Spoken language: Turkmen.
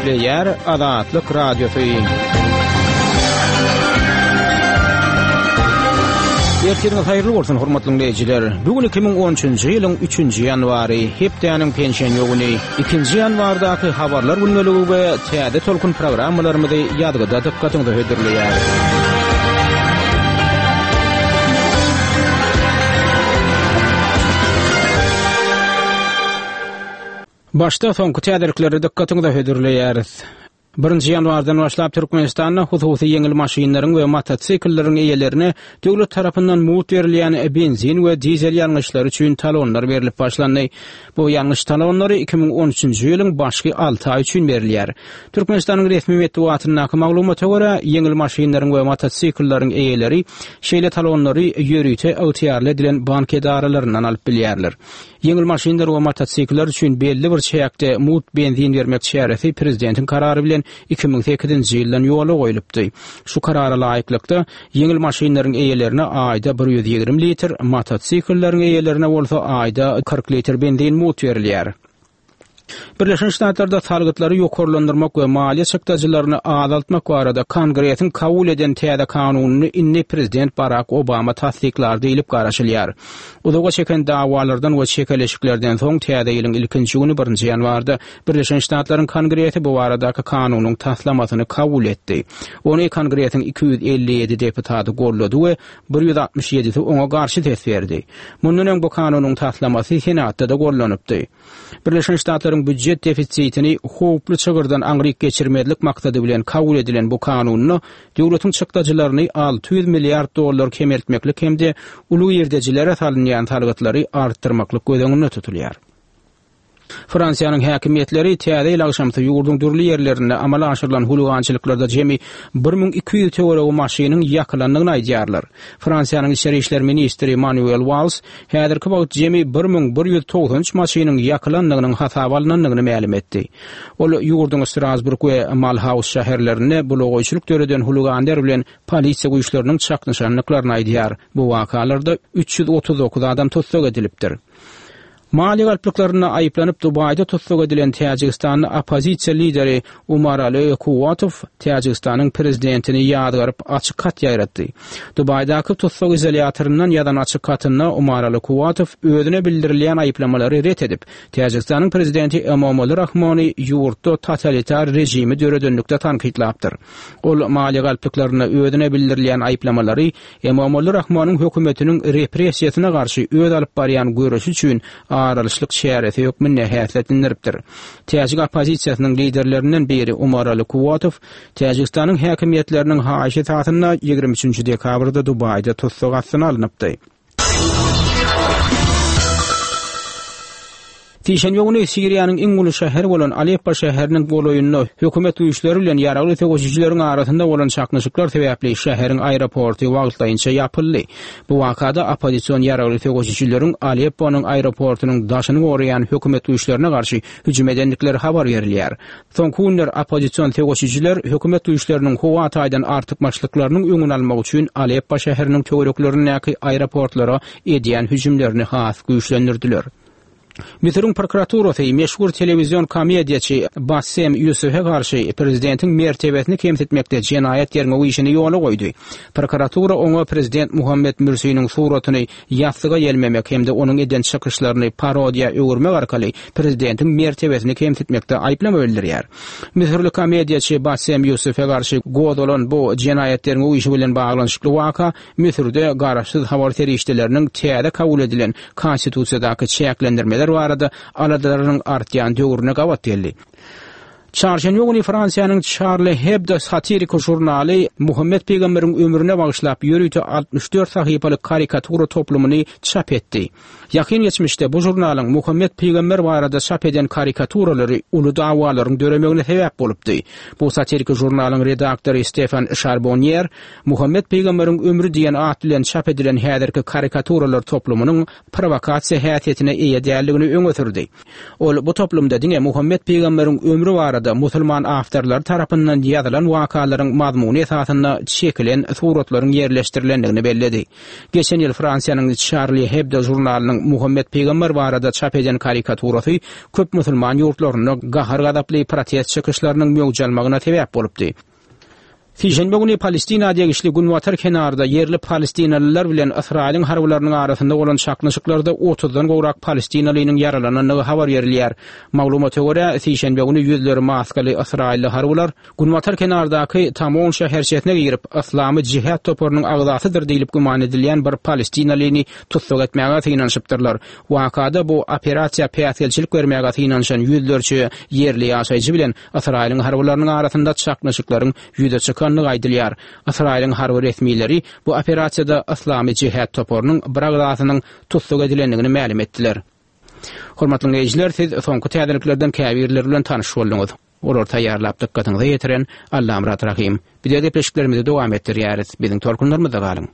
Gepleýär Azatlyk Radiosy. Ertiriňiz haýyrly bolsun, hormatly diňleýjiler. Bu gün 2013-nji ýylyň 3-nji ýanwary, hepdäniň penşenbe güni. 2-nji ýanwardaky habarlar gündeligi we täze tolkun programmalarymyzy ýazgyda dykgatyňyza hödürleýäris. Başda soňky täzelikleri dykgatyňyza hödürleýäris. Birinji ýanwardan başlap Türkmenistanda hususy ýeňil maşynlaryň we motosiklleriň eýelerine döwlet tarapyndan mugt berilýän benzin we dizel ýangyçlary üçin talonlar berlip başlandy. Bu ýangyç talonlary 2013-nji ýylyň başky alty aýy üçin berilýär. Türkmenistanyň resmi metbugatyndaky maglumata görä, ýeňil maşynlaryň we motosiklleriň eýeleri şeýle talonlary ýörite ygtyýarly edilen bank edaralaryndan alyp bilýärler. Ýeňil maşynlar we motosikller üçin belli bir çäkde mugt benzin bermek çäresi prezidentiň karary bilen 2008-nji ýyldan ýola goýlupdy. Şu karara laýyklykda, ýeňil maşynlaryň eýelerine aýda 120 litr, motosiklleriň eýelerine bolsa aýda 40 litr benzin mugt berilýär. Birleşen Ştatlarda salgytlary ýokarlandyrmak we maliýe çykdajylaryny azaltmak barada Kongresiň kabul eden täze kanunyny indi prezident Barak Obama tassyklar diýlip garaşylýar. Uzaga çeken dawalardan we çekeleşiklerden soň täze ýylyň ilkinji güni birinji ýanwarda Birleşen Ştatlaryň Kongresi bu baradaky kanunyň taslamasyny kabul etdi. Ony Kongresiň 257 deputaty goldady we 167-si oňa garşy ses berdi. Mundan öň bu kanunyň taslamasy Senatda-da gollanypdy. Birleşen Ştatlaryň býujet defisitini howply çygyrdan aňryk geçirmezlik maksady bilen kabul edilen bu kanunda döwletiň çykdajylaryny 600 milliard dollar kemeltmeklik hem-de uly girdejilere salynýan salgytlary artdyrmaklyk göz öňünde tutulýar. Fransiýanyň häkimiýetleri Täze ýyl agşamsy ýurduň dürli ýerlerinde amala aşyrylan huligançylyklarda jemi 1200 töweregi maşynyň ýakylandygyny aýdýarlar. Fransiýanyň içeri işler ministri Manuel Walls häzirki wagt jemi 1193 maşynyň ýakylandygynyň hasaba alnandygyny mälim etdi. Ol ýurduň Strasburg we Malhaus şäherlerinde bulagaýçylyk döreden huliganlar bilen polisiýa güýçleriniň çaknyşandyklaryny aýdýar. Bu wakalarda 339 adam tussag edilipdir. Maliýe galplyklarynda aýyplanyp Dubaýda tussag edilen täjigistanly oppozisiýa lideri Umarali Kuwatow Täjigistanyň prezidentini ýazgaryp açyk hat ýaýratdy. Dubaýdaky tussag izolýatoryndan ýazan açyk hatynda Umarali Kuwatow özüne bildirilýän aýyplamalary ret edip, Täjigistanyň prezidenti Emomali Rahmony ýurtda totalitar režimi döredenlikde tankytlapdyr. Ol maliýe galplyklarynda özüne bildirilýän aýyplamalary Emomali Rahmonyň hökümetiniň repressiýasyna garşy öz alyp barýan göreşi üçin aralyşlyk çäresi hökmünde häsiýetlendiripdir. Täjik oppozisiýasynyň liderlerinden biri Umarali Kuwatow Täjigistanyň häkimiýetleriniň haýyşy esasynda 23-nji dekabrda Dubaýda tussag astyna alnypdy. Sişenbe güni Siriýanyň iň uly şäheri bolan Aleppo şäheriniň golaýynda hökümet güýçleri bilen ýaragly söweşijileriň arasynda bolan çaknyşyklar sebäpli şäheriň aeroporty wagtlaýynça ýapyldy. Bu wakada oppozision ýaragly söweşijileriň Alepponyň aeroportunyň daşyny goraýan hökümet güýçlerine garşy hüjüm edendikleri habar berilýär. Soňky günler oppozision söweşijiler hökümet güýçleriniň howa taýdan artykmaçlyklarynyň öňüni almak üçin Aleppo şäheriniň töwereklerindäki aeroportlara edýän hüjümlerini has güýçlendirdiler. Müsüriň prokuraturasy meşhur telewizion komediýaçy Bassem Ýusufe garşy prezidentiň mertebesini kemsitmekde jenaýat derňew işini ýola goýdy. Prokuratura oňa prezident Muhammed Mürsiniň suratyny ýassyga ýelmemek hem-de onuň eden çykyşlaryny parodiýa öwürmek arkaly prezidentiň mertebesini kemsitmekde aýyplama bildirýär. Müsürli komediýaçy Bassem Ýusufe garşy gozgalan bu jenaýat derňew işi bilen baglanyşykly waka Müsürde garaşsyz habar serişdeleriniň täze kabul edilen Konstitusiýadaky çäklendirmeler barada aladalarynyň artýan döwrüne gabat geldi. Çarşenbe güni Fransiýanyň Charlie Hebdo satiriki žurnaly Muhammet pygamberiň ömrüne bagyşlap ýörite 64 sahypalyk karikatura toplumyny çap etdi. Ýakyn geçmişde bu žurnalyň Muhammet pygamber barada çap eden karikaturalary uly dawalaryň döremegine sebäp bolupdy. Bu satiriki žurnalyň redaktory Stefan Şarbonýer Muhammet pygamberiň ömri diýen at bilen çap edilen häzirki karikaturalar toplumynyň prowokasiýa häsiýetine eýe däldigini öňe sürdi. Ol bu toplumda diňe Muhammet pygamberiň ömri barada. barada musulman awtorlary tarapyndan ýazylan wakalaryň mazmuny esasynda çekilen suratlaryň ýerleşdirilendigini belledi. Geçen ýyl Fransiýanyň Charlie Hebdo žurnalynyň Muhammet pygamber barada çap eden karikaturasy köp musulman ýurtlarynda gahar-gazaply protest çykyşlarynyň möwç almagyna sebäp bolupdy. Sişenbe güni Palestina degişli günbatar kenarda ýerli palestinalylar bilen Ysraýylyň harbylarynyň arasynda bolan çaknyşyklarda otuzdan gowrak palestinalynyň ýaralanandygy habar berilýär. Maglumata görä, sişenbe güni ýüzleri maskaly ysraýylly harbylar günbatar kenardaky Tamon şäherçesine girip, Yslamy Jihad toparynyň agzasydyr diýlip güman edilýän bir palestinalyny tussag etmäge synanyşypdyrlar. Wakada bu operasiýa päsgelçilik bermäge synanyşan ýüzlerçe ýerli ýaşaýjy bilen Ysraýylyň harbylarynyň arasynda çaknyşyklaryň ýüze çykandygy aýdylýar. Ysraýylyň harby resmileri bu operasiýada Yslamy Jihad toparynyň bir agzasynyň tussag edilendigini mälim etdiler. Hormatly diňleýjiler, siz soňky täzeliklerden käbirleri bilen tanyş bolduňyz. Olary taýýarlap dykgatyňyza ýetiren Allamyrat Rahym. Bize gepleşiklerimizi dowam etdirýäris. Biziň tolkunlarymyzda galyň.